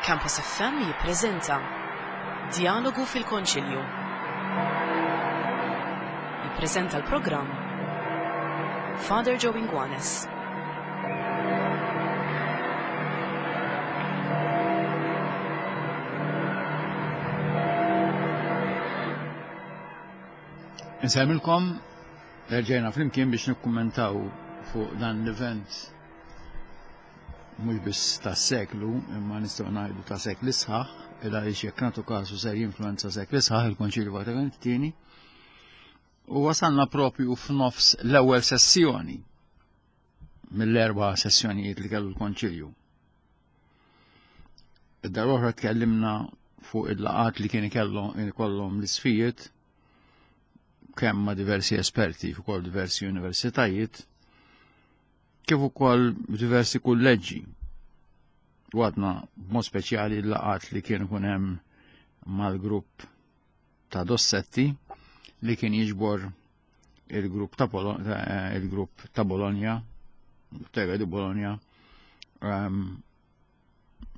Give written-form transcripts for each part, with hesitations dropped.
Campus FM jippreżenta Djalogu fil-Konċilju. Jippreżenta l-programm Father Joe Inguanes. Insemmilkom erġajna flimkien biex nikkummentaw fuq dan l-event mhux biss tas-seklu, imma nistgħu ngħidu ta' sekli sħaħ, il għaliex jekk nagħtu kasu ser jinfluenza sekli sħaħ il-Konċilju Vatikan it-tieni. U wasalna propju f'nofs l-ewwel sessjoni mill-erba' sessjonijiet li kellu l-Konċilju. Id-darba oħra tkellimna fuq il-laqat li kien ikollhom l-isfijiet kemm ma' diversi esperti fuq ukoll diversi universitajiet kif ukoll diversi kulleġġi. U għadna b'mod speċjali l-laqat li kien ikun hemm mal-grupp ta' Dossetti li kien jiġbor il-grupp ta' eh, il-grupp ta' Bologna, Tega di Bologna, ehm,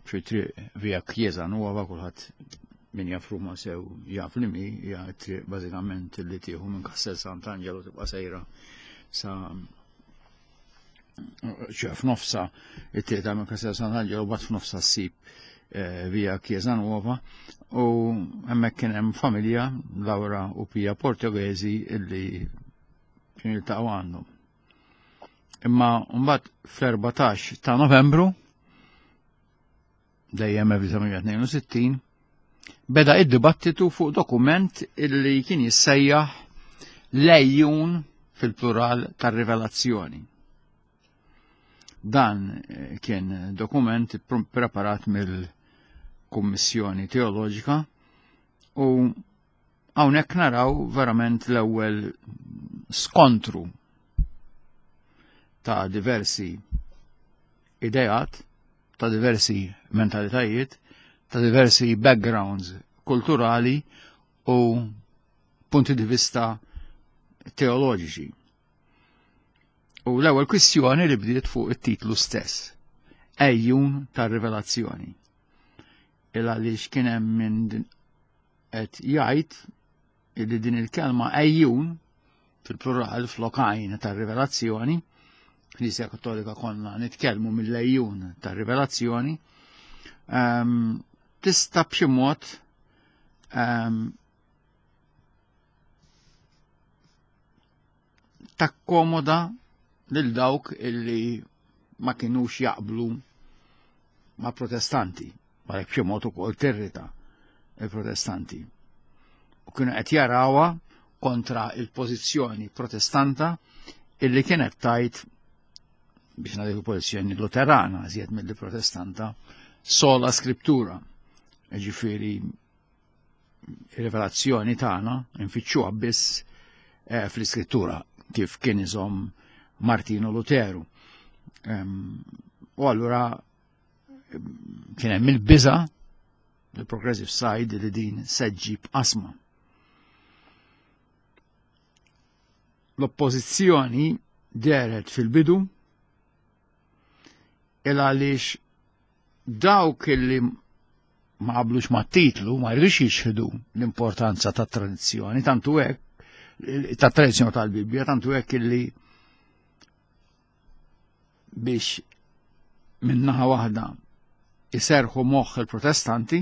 fi triq via Chiesa Nuova kulħadd min jaf Ruma sew jaf li mi hija triq bażikament li tieħu minn Castel Sant'Angelo tibqa' sejra sa ċe f'nofsa it-triq ta' minn Castel Sant'Angelo bat f'nofsa ssib eh, via Chiesa Nuova u hemmhekk kien hemm familja Laura u Pia Portoghesi illi kienu jiltaqgħu għandhom. Imma mbagħad fl-14 ta' Novembru dejjem 1962 beda id-dibattitu fuq dokument illi kien jissejjaħ lejjun fil-plural tar-rivelazzjoni. Dan eh, kien dokument preparat mill-Kummissjoni Teoloġika u Hawnhekk naraw verament l-ewwel skontru ta' diversi ideat, ta' diversi mentalitajiet, ta' diversi backgrounds kulturali u punti di vista teoloġiċi. U l-ewwel kwistjoni li bdiet fuq it-titlu stess, ejjun tar-rivelazzjoni. Il għaliex kien hemm minn qed jgħid illi din il-kelma ejjun fil-plural flokajn tar-rivelazzjoni, Knisja Kattolika konna nitkellmu mill-ejjun tar-rivelazzjoni, ehm, tista' b'xi mod ehm, takkomoda lil dawk illi ma kinux jaqblu ma' protestanti, għalhekk b'xi mod ukoll tirrita il-protestanti. U kienu qed jarawha kontra il-pożizzjoni protestanta illi kienet tajt biex nagħti pożizzjoni luterana iżjed mill protestanta sola scriptura. Ġifieri rivelazzjoni tagħna nfittxuha biss eh, fl-iskrittura kif kien iżomm Martino Luteru. U allura kien hemm il-biża il-progressive side li din se ġġib qasma. L-oppożizzjoni deret fil-bidu il għaliex dawk li ma qablux mat-titlu ma jridux jixħdu l-importanza tat tradizzjoni, tantu hekk tat tradizzjoni tal-Bibbja, tantu hekk illi biex minnaħa waħda iserħu moħħ il-protestanti,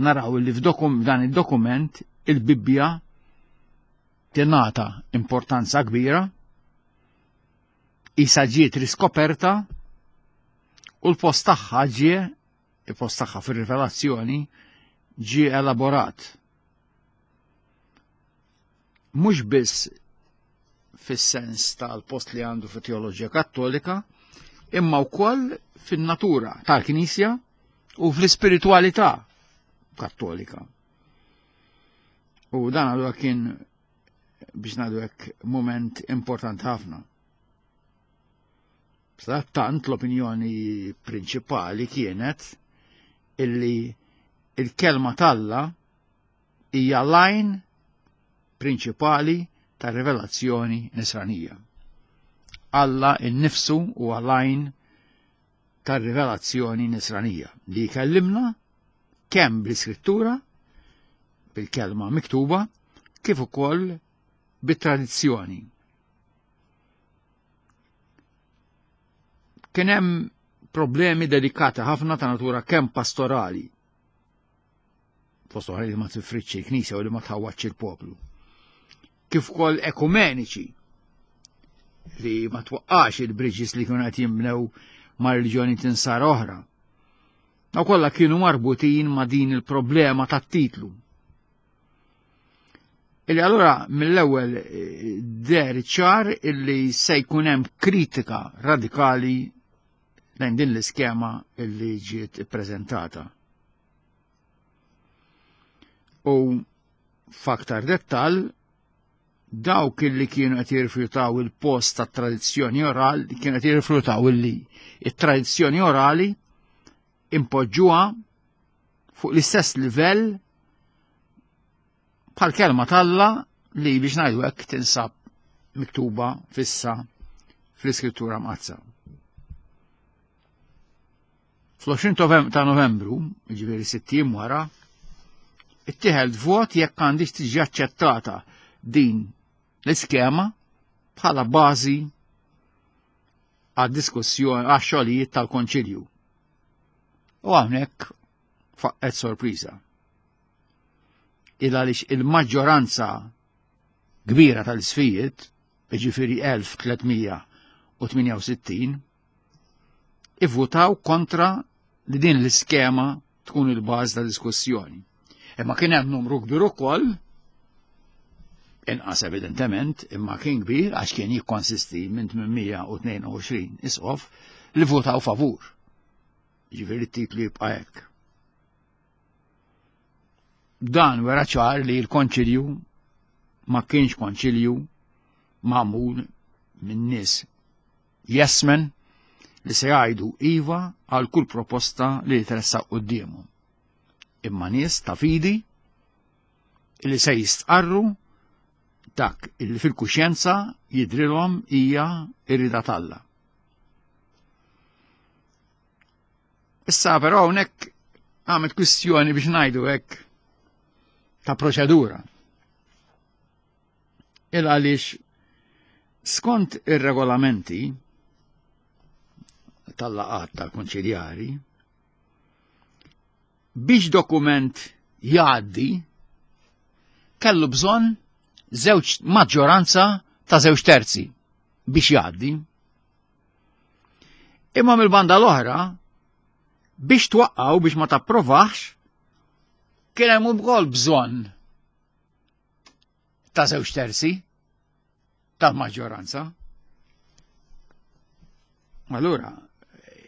naraw li f'dan id-dokument il-Bibbja tingħata importanza kbira, isa ġiet riskoperta u l-post tagħha ġie il-post tagħha fir-rivelazzjoni ġie elaborat. Mhux biss fis-sens tal-post li għandu fit teoloġija kattolika, imma wkoll fin-natura tal-Knisja u fl-ispiritualità kattolika. U dan allura kien biex ngħidu hekk moment importanti ħafna. Tant l-opinjoni prinċipali kienet illi il-kelma talla hija lajn prinċipali ta' rivelazzjoni nisranija. Alla innifsu huwa lajn ta' rivelazzjoni nisranija li jkellimna Kemm bl-iskrittura, bil-kelma miktuba, kif ukoll bit-tradizzjoni. Kien hemm problemi delikati ħafna ta' natura kemm pastorali, fost oħra li ma tifridx il-Knisja u li ma tħawwadx il-poplu, kif ukoll ekumeniċi li ma twaqqax il-bridges li kienu qed jinbnew ma' reliġjoni tinsar oħra. Daw kollha kienu marbutin ma' din il-problema tat-titlu. Illi allura mill-ewwel eh, deher ċar illi se jkun hemm kritika radikali lejn din l-iskema illi ġiet ippreżentata. U f'aktar dettal dawk illi kienu qed jirrifjutaw il-post tat-tradizzjoni orali, kienu qed jirrifjutaw illi it-tradizzjoni orali impoġġuha fuq l-istess livell bħal kelma t'Alla li biex ngħidu hekk tinsab miktuba fissa fl-Iskrittura Mqaddsa. Fl-20 ta' Novembru, ġifieri sitt ijiem wara, ittieħed vot jekk għandix tiġi aċċettata din l-iskema bħala bażi għad-diskussjoni għax-xogħlijiet tal-Konċilju. U hawnhekk faqqet sorpriża. Il għaliex il-maġġoranza kbira tal-isfijiet, jiġifieri 1368, ivvutaw kontra li din l-iskema tkun il-bażi ta' diskussjoni. Imma kien hemm numru kbir ukoll, inqas evidentement, imma kien kbir għax kien jikkonsisti minn 822 isqof li votaw favur. Ġifieri t-titlu jibqa' hekk. Dan wera ċar li l-konċilju ma kienx konċilju magħmul minn nies jesmen li se jgħidu iva għal kull proposta li tressaq quddiemhom. Imma nies ta' fidi li se jistqarru dak illi fil-kuxjenza jidrilhom hija ir-rida t'Alla. Issa però hawnhekk għamet kwistjoni biex ngħidu hekk ta' proċedura. Il għaliex skont ir-regolamenti tal-laqat tal-konċiljari biex dokument jgħaddi kellu bżonn żewġ maġġoranza ta' żewġ terzi biex jgħaddi. Imma mill-banda l-oħra, biex twaqqaw biex ma tapprovax, kien hemm ukoll bżonn ta' żewġ terzi tal-maġġoranza. Allura,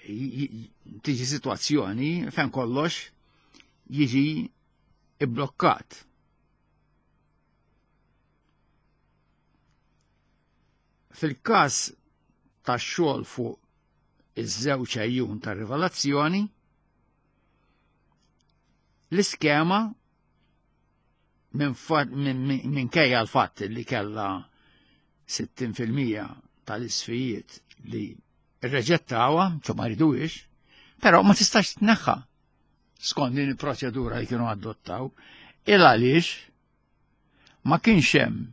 tiġi situazzjoni fejn kollox jiġi ibblokkat. Fil-każ tax-xogħol fuq iż-żewġ għejjun tar-rivelazzjoni, l-iskema minkejja l-fatt li kellha 60% tal-isfijiet li rreġettawha, ċo ma jriduhiex, però ma tistax tneħħa skont din il-proċedura li kienu adottaw, il għaliex ma kienx hemm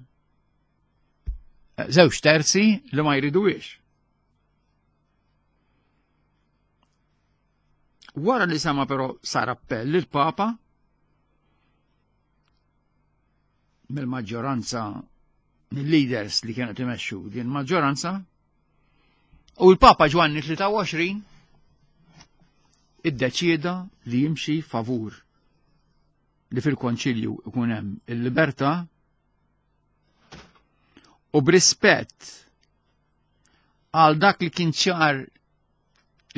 żewġ terzi li ma jriduhiex. Wara li sama però sar appell il-Papa mill-maġġoranza mill-leaders li kienu timexxu din maġġoranza u l-Papa Ġwanni 23 iddeċieda li jimxi favur li fil-konċilju ikun hemm il-libertà u b'rispett għal dak li kien ċar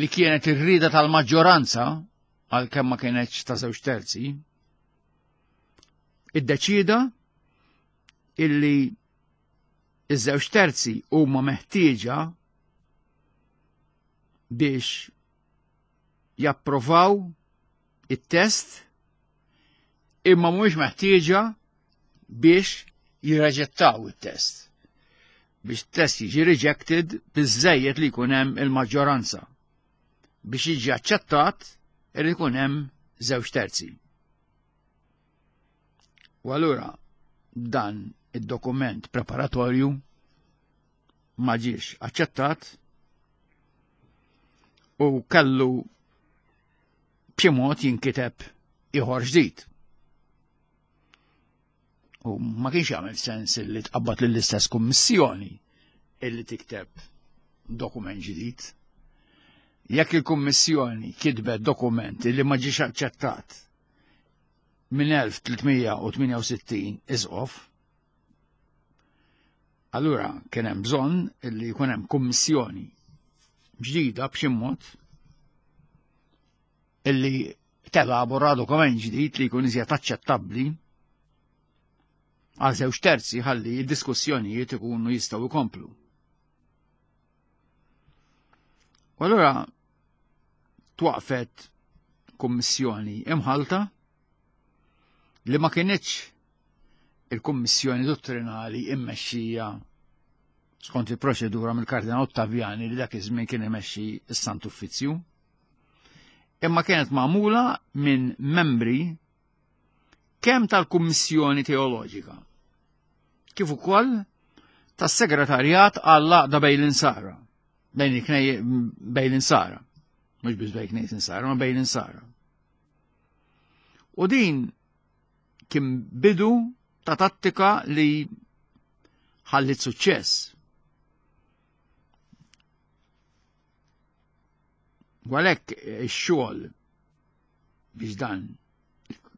li kienet ir-rida tal-maġġoranza għal kemm ma kienetx ta' żewġ terzi, iddeċida illi iż-żewġ terzi huma meħtieġa biex japprovaw it-test imma mhuwiex meħtieġa biex jirreġettaw it-test. Biex test jiġi rejected biżejjed li jkun hemm il-maġġoranza. Biex jiġi aċċettat irid ikun hemm żewġ terzi. U allura dan id-dokument preparatorju ma ġiex aċċettat u kellu b'xi mod jinkiteb ieħor ġdid. U ma kienx jagħmel sens li tqabbad lill-istess kummissjoni illi tikteb dokument ġdid. Jekk il-Kummissjoni kitbet dokument li ma ġiex aċċettat minn 1368 isqof, allura kien hemm bżonn illi jkun hemm kummissjoni ġdida b'xi mod illi telabora dokument ġdid li jkun iżjed aċċettabbli għal żewġ terzi ħalli d-diskussjonijiet ikunu jistgħu jkomplu. U allura twaqfet kummissjoni imħalta li ma kienitx il-kummissjoni dottrinali immexxija skont il-proċedura mill-Kardinal Ottaviani li dak iż-żmien kien imexxi s-Sant Uffizzju. Imma kienet magħmula minn membri kemm tal-Kummissjoni Teoloġika kif ukoll tas-Segretarjat għall-Għaqda bejn l-Insara, bejn bejn l-Insara, mhux biss bejn knejs Insara, ma bejn l-Insara. U din kien bidu ta' tattika li ħallit suċċess. Għalhekk ix-xogħol biex dan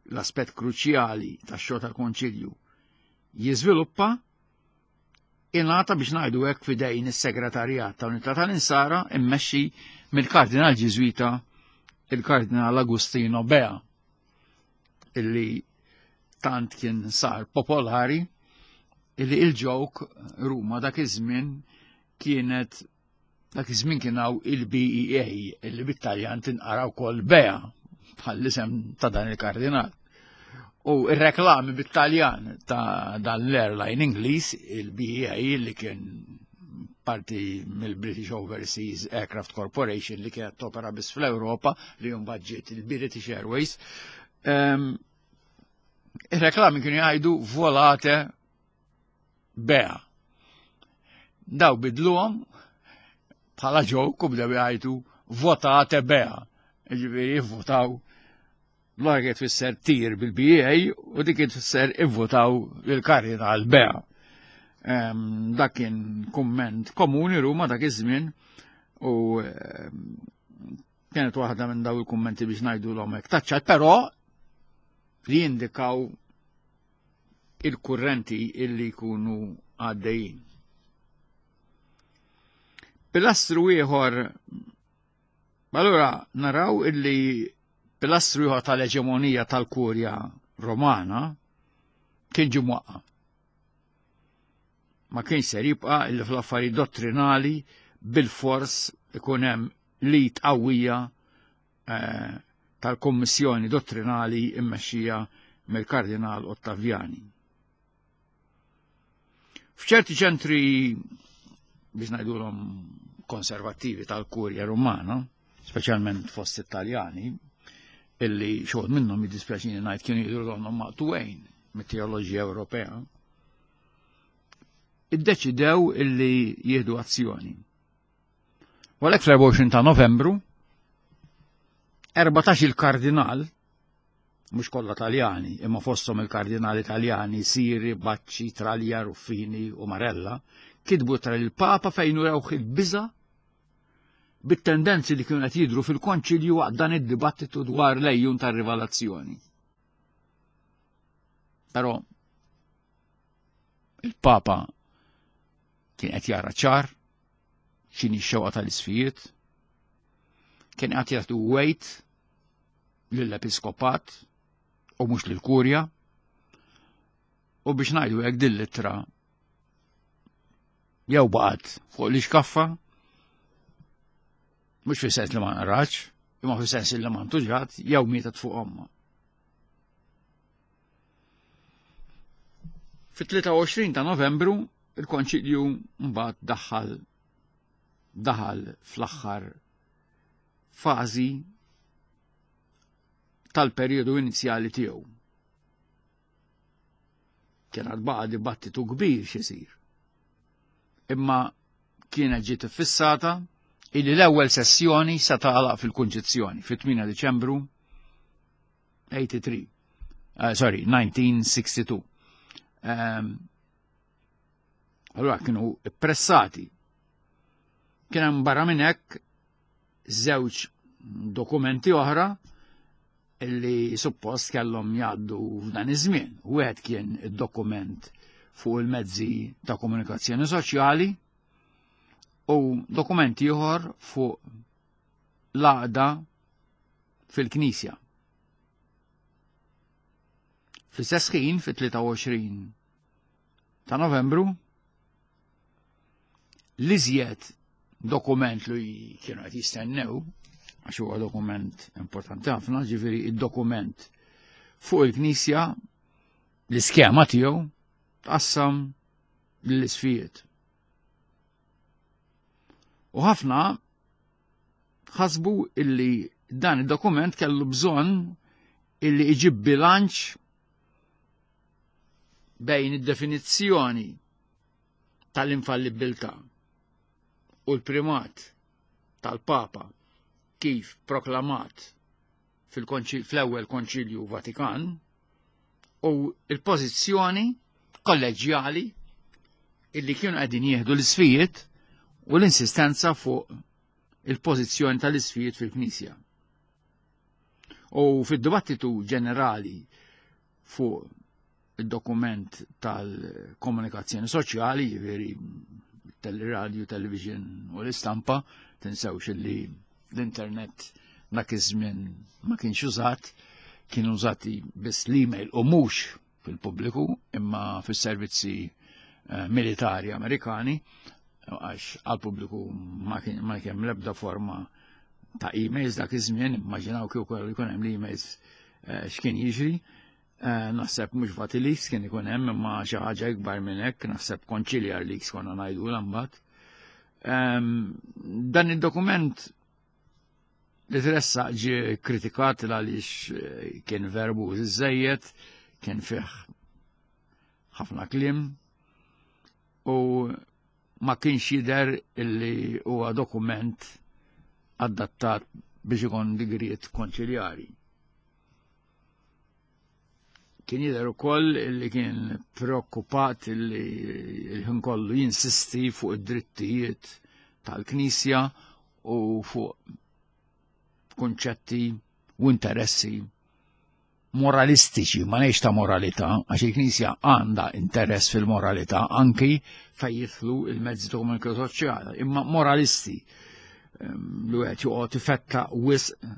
l-aspett kruċjali tax-xogħol tal-Konċilju jiżviluppa ingħata biex ngħidu hekk f'idejn is-Segretarjat ta' Unità tal-Insara immexxi mill-Kardinal Ġiżwita il-Kardinal Agustino Bea illi tant kien sar popolari illi il-ġok Ruma dak iż-żmien kienet dak iż-żmien kien hawn il-BEA illi bit-Taljan tinqara wkoll Bea bħall-isem ta' dan il-kardinal. U ir-reklami bit-Taljan ta' dan l-airline Ingliż, il-BEA li kien parti mill-British Overseas Aircraft Corporation li kienet topera biss fl-Ewropa li mbagħad ġiet il-British Airways. Ehm, ir-reklami kienu jgħidu volate bea. Daw bidluhom bħala ġok u bdew jgħidu votate bea. Ġifieri votaw l-għar tfisser tir bil-BA u dik tfisser ivvotaw il-kardinal bea. Ehm, dak kien kumment komuni Ruma dak iż-żmien u ehm, kienet waħda minn daw il-kummenti biex ngħidu l-omek taċċat, però li jindikaw il-kurrenti illi jkunu għaddejjin. Pilastru ieħor allura naraw illi pilastru ieħor tal-eġemonija tal-Kurja Romana kien ġie mwaqqa. Ma kienx ser jibqa' illi fl-affarijiet dottrinali bil-fors ikun hemm lit qawwija eh, tal-Kommissjoni Dottrinali immexxija mill-Kardinal Ottaviani. F'ċerti ċentri biex ngħidulhom konservattivi tal-Kurja Rumana, speċjalment fost Italjani, illi xogħol minnhom jiddispjaċini ngħid kienu jidhru donnhom maqtuwejn mit-teoloġija Ewropea, iddeċidew illi jieħdu azzjoni. U għalhekk fl-24 ta' Novembru, 14 il-kardinal, mhux kollha Taljani, imma fosthom il-kardinali Taljani Siri, Bacci, Traglia, Ruffini u Marella, kitbu tra il-Papa fejn urewh il-biża' bit-tendenzi li kienu qed jidhru fil-konċilju waqt dan id-dibattitu dwar l-ejjun tar-rivelazzjoni. Però il-Papa kien qed jara ċar x'inhi x-xewqa tal-isfijiet, kien qed jagħtu wejt lill-episkopat u mhux lill-kurja u biex ngħidu hekk din l-ittra jew baqgħet fuq l-ixkaffa mhux fi sens li ma narax, imma fi sens li ma ntuġat jew mietet fuq omma. Fit-23 ta' Novembru il-Konċilju mbagħad daħal daħal fl-aħħar fażi tal-perjodu inizjali tiegħu. Kien għad baqa' dibattitu kbir x'isir. Imma kienet ġiet iffissata illi l-ewwel sessjoni se tagħlaq fil-Kunċizzjoni fit-8 Diċembru 83. Uh, sorry, 1962. Um, ehm, allora kienu pressati. Kien hemm barra minn hekk żewġ dokumenti oħra illi suppost kellhom jgħaddu f'dan iż-żmien. Wieħed kien id-dokument fuq il-mezzi ta' komunikazzjoni soċjali u dokument ieħor fuq l-għaqda fil-Knisja. Fl-istess ħin, fit-23 ta' Novembru, l-iżjed dokument li kienu qed jistennew, għax huwa dokument importanti ħafna, ġifieri id-dokument fuq il-Knisja, l-iskema tiegħu tqassam lill-isfijiet. U ħafna ħasbu illi dan id-dokument kellu bżonn illi iġib bilanċ bejn id-definizzjoni tal-infallibilità u l-primat tal-Papa kif proklamat fl-ewwel Konċilju Vatikan u l-pożizzjoni kolleġjali illi kienu qegħdin jieħdu l-isfijiet u l-insistenza fuq il-pożizzjoni tal-isfijiet fil-Knisja. U fid-dibattitu ġenerali fuq id-dokument tal-komunikazzjoni soċjali, jiġifieri teleradio, television u l-istampa, tinsewx li l-internet dak iż-żmien ma kienx użat, kienu użati biss l-email u mhux fil-pubbliku imma fis-servizzi eh, militari Amerikani għax għal-pubbliku ma kien hemm l-ebda forma ta' emails dak iż-żmien, immaġinaw kieku jkun hemm l-emails eh, x'kien jiġri. Eh, naħseb mhux Vatileaks kien ikun hemm imma xi ħaġa ikbar minn hekk, naħseb Conciliar Leaks konna ngħidu mbagħad. Ehm, dan id-dokument li tressaq ġie kritikat għaliex eh, kien verbu żejjed, kien fih ħafna kliem u ma kienx jidher illi huwa dokument adattat biex ikun digriet konċiljari. Kien jidher ukoll li kien preokkupat li l-ħin kollu jinsisti fuq id-drittijiet tal-Knisja u fuq kunċetti u interessi moralistiċi, ma ngħidx ta' moralità, għax il-Knisja għandha interess fil-moralità anki fejn jidħlu il-mezzi ta' komunikazzjoni soċjali, imma moralisti ehm, li wieħed joqgħod ifetta wisq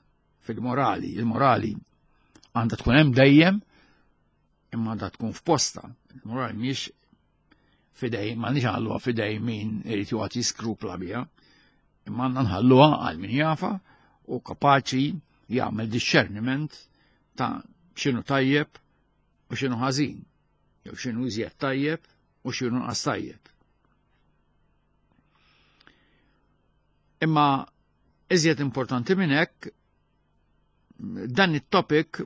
fil-morali. Il-morali għandha tkun hemm dejjem imma għandha tkun f'posta. Il-morali mhix fidej, ma nix nħalluha fidej min irid joqgħod jiskrupla biha, imma għandna nħalluha għal min jafa u kapaċi jagħmel discerniment ta' x'inhu tajjeb u x'inhu ħażin, jew x'inhu iżjed tajjeb u x'inhu nqas tajjeb. Imma Iżjed importanti minn hekk, dan it-topic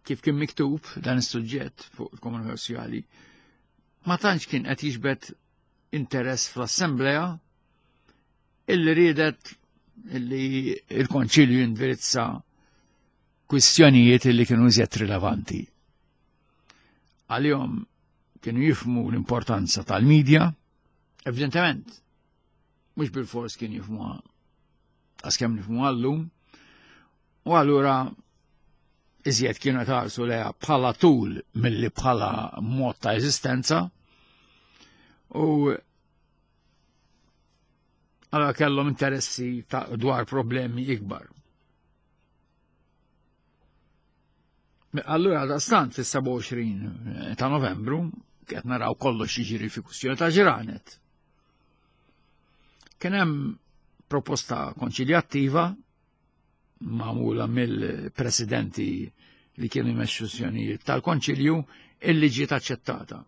kif kien miktub dan is-suġġett fuq il-komunità soċjali ma tantx kien qed jiġbed interess fl-assemblea illi riedet illi il-konċilju jindirizza kwistjonijiet illi kienu iżjed rilevanti. Għalihom kienu jifmu l-importanza tal-medja, evidentement, mhux bil-fors kien jifmuha għas kemm nifmuha llum. U allura iżjed kienu taqsu leha bħala tul milli bħala mod ta' eżistenza. U allura kellhom interessi ta' dwar problemi ikbar. Allura daqstant fis-27 ta' Novembru qed naraw kollox jiġri fi kwistjoni ta' ġranet. Kien hemm proposta konċiljattiva magħmula mill-presidenti li kienu jmexxu sessjonijiet tal-konċilju illi ġiet aċċettata.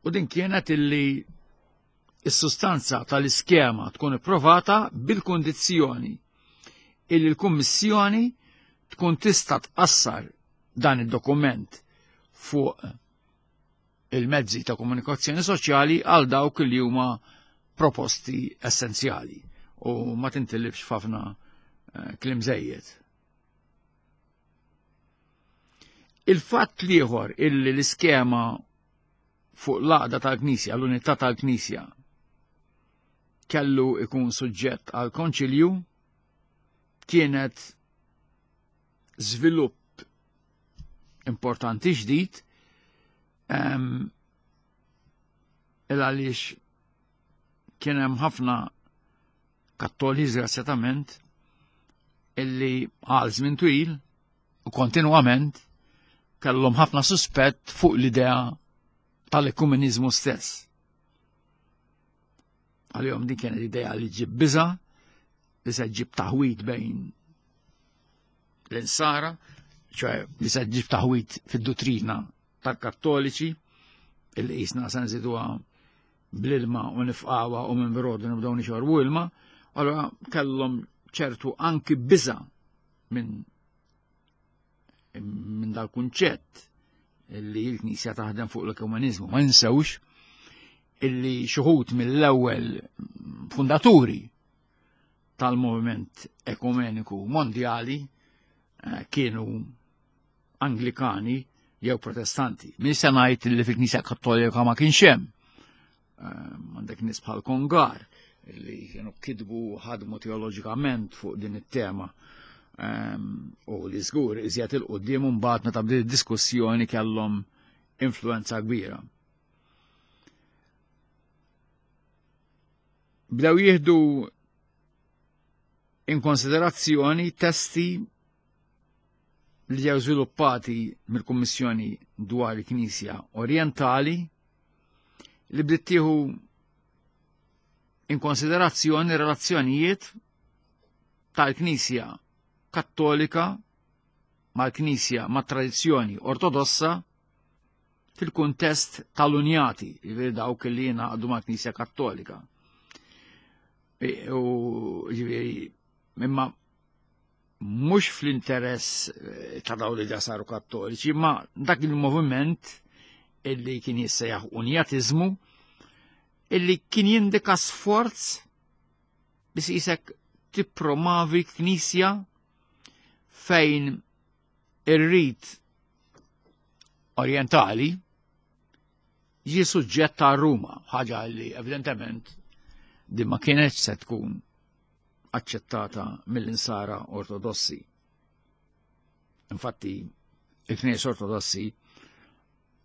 U din kienet illi is-sustanza tal-iskema tkun ipprovata bil-kundizzjoni illi l-Kummissjoni tkun tista' tqassar dan id-dokument fuq il-mezzi ta' komunikazzjoni soċjali għal dawk li huma proposti essenzjali u ma tintilifx f'ħafna eh, kliem żejjed. Il-fatt liħor illi l-iskema fuq l-għaqda tal-Knisja, l-unità tal-Knisja, kellu ikun suġġett għal konċilju kienet żvilupp importanti ġdid il għaliex kien hemm ħafna kattoli żgrazzjatament illi għal żmien twil u kontinwament kellhom ħafna suspett fuq l-idea tal-ekumenizmu stess. Għalihom din kienet idea li ġib biża, li se ġib taħwit bejn l-insara, ċoħe li se ġib taħwit fid-duttrina tal-kattoliċi, illi jisna se nżiduha bl-ilma u nifqawa u minn brodu nibdew nixorbu ilma, allora kellhom ċertu anki biża minn min dal-kunċett li l-Knisja taħdem fuq l-ekumeniżmu. Ma ninsewx illi xuħut mill-ewwel fundaturi tal-moviment ekumeniku mondjali eh, kienu Anglikani jew Protestanti. Min se ngħid li fil-Knisja Kattolika ma kienx hemm. Ehm, għandek nies bħal Kongar li kienu kitbu ħadmu teoloġikament fuq din it-tema. Ehm, u li żgur iżjed il-qudiem mbagħad meta bdiet diskussjoni kellhom influenza kbira. Bdew jieħdu in konsiderazzjoni testi li ġew żviluppati mill-Kummissjoni dwar il-Knisja Orjentali li bdiet tieħu in konsiderazzjoni relazzjonijiet tal-Knisja Kattolika mal-Knisja mat-tradizzjoni Ortodossa fil-kuntest tal-Unjati, jiġifieri dawk li jingħaqdu mal-Knisja Kattolika. E, u jiġifieri imma mhux fl-interess eh, ta' dawn li saru kattoliċi, ma dak il-moviment illi kien jissejjaħ unjatiżmu illi kien jindika sforz biex jisek tippromavi knisja fejn ir-rit orientali ġi suġġett ta' Ruma, ħaġa li evidentement din ma kienet se tkun aċċettata mill-insara ortodossi. Infatti, il-Knejjes Ortodossi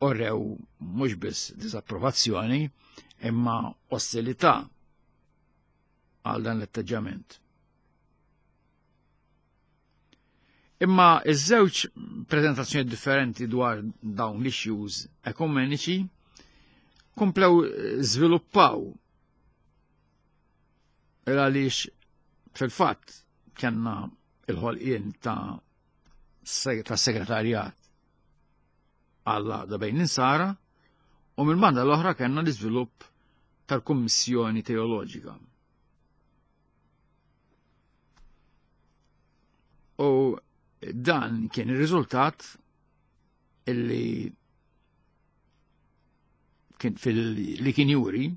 orrew mhux biss disapprovazzjoni imma ostilità għal dan l-atteġġament. Imma iż-żewġ prezentazzjoni differenti dwar dawn l-issues ekumeniċi komplew żviluppaw Il għaliex fil-fatt kellna il-ħolqien ta' ta' segretarjat għall-għaqda bejn l-insara u mill-banda l-oħra kellna l-iżvilupp tal-Kummissjoni Teoloġika. U dan kien ir-riżultat illi kien fil li kien juri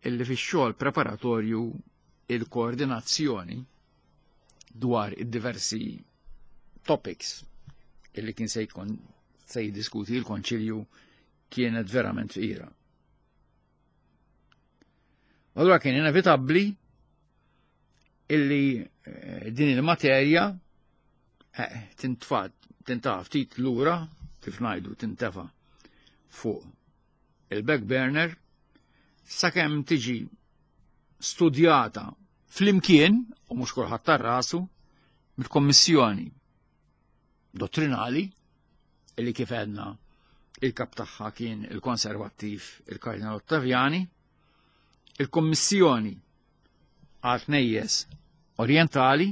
illi fix-xogħol preparatorju il-koordinazzjoni dwar id-diversi topics illi kien se jkun se jiddiskuti l-Konċilju kienet verament fqira. Allura kien inevitabbli illi eh, din il-materja eh, tintfa tintaf ftit lura kif ngħidu tintefa fuq il-back burner sakemm tiġi studjata flimkien u mhux kulħadd tar-rasu mill-Kommissjoni dottrinali illi kif għedna il-kap tagħha kien il-konservattiv il-Kardinal Ottaviani, il-Kommissjoni għal tnejjes Orientali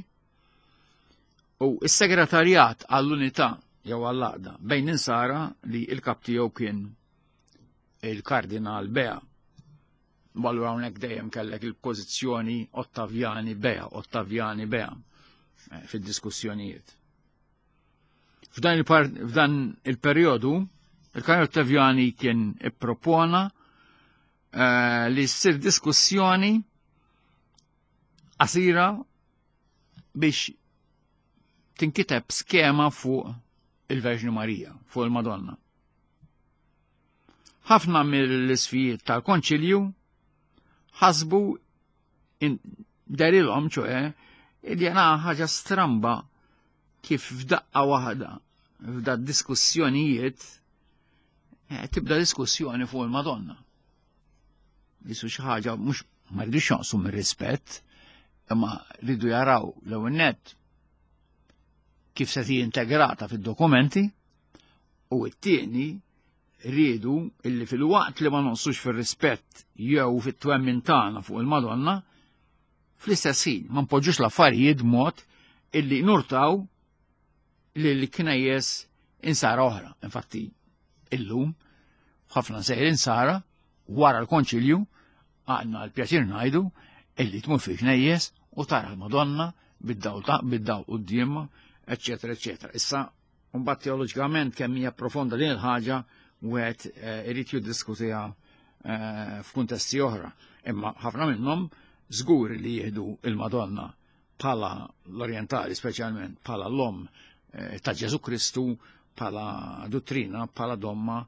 u s-Segretarjat għall-Unità jew għall-Għaqda bejn insara li il-kap tiegħu kien il-Kardinal Bea. Allura hawnhekk dejjem kellek il-pożizzjoni Ottavjani Bea, Ottavjani Bea eh, fid-diskussjonijiet. F'dan il-perjodu, il-Kardinal Ottaviani kien ippropona eh, li ssir diskussjoni qasira biex tinkiteb skema fuq il-Verġni Marija, fuq il-Madonna. Ħafna mill-isfijiet tal-Konċilju ħasbu derilhom ċoħe li jena ħaġa stramba kif f'daqqa waħda f'da diskussjonijiet eh, tibda diskussjoni fuq il-Madonna. Jisu xi ħaġa mhux ma rridux jonqsu mir-rispett, imma rridu jaraw l-ewwel nett kif se tiġi integrata fid-dokumenti u t-tieni riedu illi fil-waqt li ma nonqsux fir-rispett jew fit-twemmin tagħna fuq il-Madonna, fl-istess ħin ma npoġġux l-affarijiet mod illi nurtaw lil knejjes insara oħra. Infatti, illum, ħafna sejr insara, wara l-konċilju, għandna l-pjaċir ngħidu illi tmur fi knejjes u tara l-Madonna bid-dawl ta' bid-dawl qudiemha, eċċetera, eċċetera. Issa, mbagħad teoloġikament kemm hija profonda din il-ħaġa wieħed eh, irid jiddiskutiha eh, f'kuntesti oħra. Imma ħafna minnhom żgur li jieħdu il-Madonna bħala l-Orjentali speċjalment bħala l-om eh, ta' Ġesu Kristu bħala dottrina, bħala domma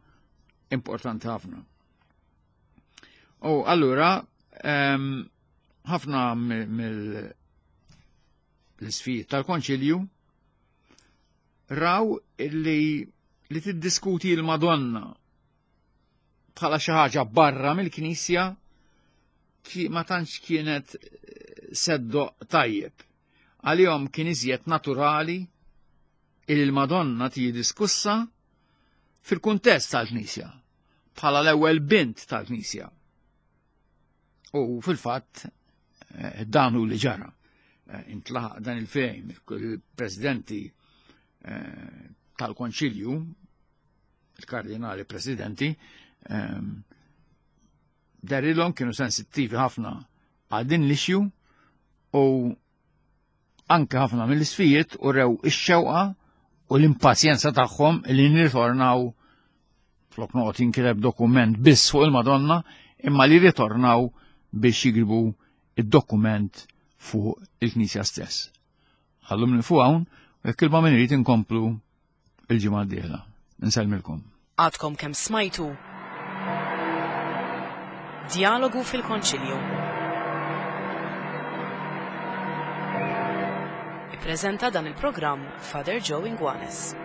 importanti ħafna. U allura ehm, ħafna mill l-isfijiet tal-konċilju raw li li tiddiskuti l-Madonna bħala xi ħaġa barra mill-Knisja ma tantx kienet eh, seddo tajjeb. Għalihom kien iżjed naturali il il-Madonna tiġi diskussa fil-kuntest tal-Knisja, bħala l-ewwel bint tal-Knisja. U fil-fatt eh, dan hu li ġara. Eh, intlaħaq dan il-fejm il-presidenti eh, tal-Konċilju, il-kardinali presidenti, ehm, darilhom kienu sensittivi ħafna għal din l-issue u anke ħafna mill-isfijiet u rew ix-xewqa u l-impazjenza tagħhom li nirritornaw flok noqgħod jinkiteb dokument biss fuq il-Madonna imma li ritornaw biex jigribu id-dokument fuq il-Knisja stess. Ħallum li fuq hawn u jekk il min irid inkomplu il-ġimgħa d-dieħla. Insellmilkom. Għadkom kemm smajtu Djalogu fil-Konċilju. Ippreżenta dan il-programm Father Joe Inguanes.